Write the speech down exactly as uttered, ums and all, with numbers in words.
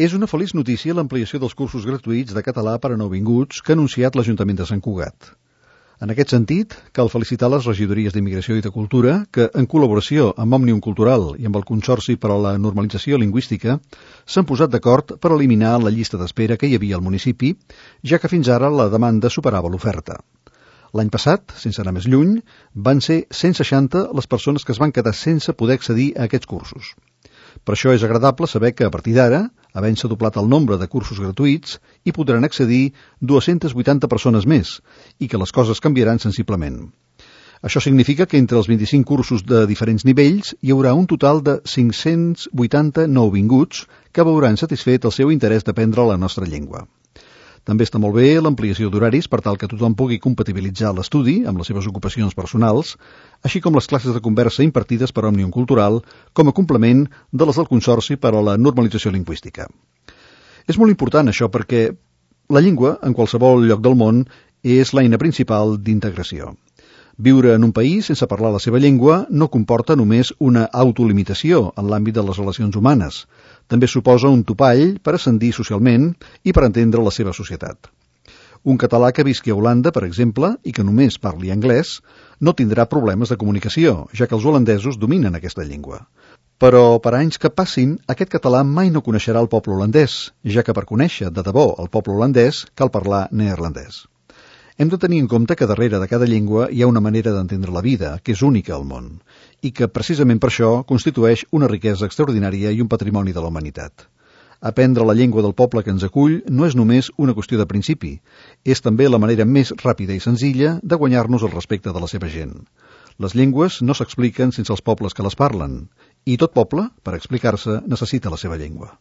És una feliç notícia l'ampliació dels cursos gratuïts de català per a nouvinguts que ha anunciat l'Ajuntament de Sant Cugat. En aquest sentit, cal felicitar les regidories d'Immigració i de Cultura que, en col·laboració amb Òmnium Cultural i amb el Consorci per a la Normalització Lingüística, s'han posat d'acord per eliminar la llista d'espera que hi havia al municipi, ja que fins ara la demanda superava l'oferta. L'any passat, sense anar més lluny, van ser cent seixanta les persones que es van quedar sense poder accedir a aquests cursos. Per això és agradable saber que, a partir d'ara, havent-se doblat el nombre de cursos gratuïts, hi podran accedir dues-centes vuitanta persones més i que les coses canviaran sensiblement. Això significa que entre els vint-i-cinc cursos de diferents nivells hi haurà un total de cinc-cents vuitanta nouvinguts que veuran satisfet el seu interès d'aprendre la nostra llengua. També està molt bé l'ampliació d'horaris per tal que tothom pugui compatibilitzar l'estudi amb les seves ocupacions personals, així com les classes de conversa impartides per Òmnium Cultural com a complement de les del Consorci per a la Normalització Lingüística. És molt important això perquè la llengua, en qualsevol lloc del món, és l'eina principal d'integració. Viure en un país sense parlar la seva llengua no comporta només una autolimitació en l'àmbit de les relacions humanes. També suposa un topall per ascendir socialment i per entendre la seva societat. Un català que visqui a Holanda, per exemple, i que només parli anglès, no tindrà problemes de comunicació, ja que els holandesos dominen aquesta llengua. Però per anys que passin, aquest català mai no coneixerà el poble holandès, ja que per conèixer de debò el poble holandès cal parlar neerlandès. Hem de tenir en compte que darrere de cada llengua hi ha una manera d'entendre la vida, que és única al món, i que precisament per això constitueix una riquesa extraordinària i un patrimoni de la humanitat. Aprendre la llengua del poble que ens acull no és només una qüestió de principi, és també la manera més ràpida i senzilla de guanyar-nos el respecte de la seva gent. Les llengües no s'expliquen sense els pobles que les parlen, i tot poble, per explicar-se, necessita la seva llengua.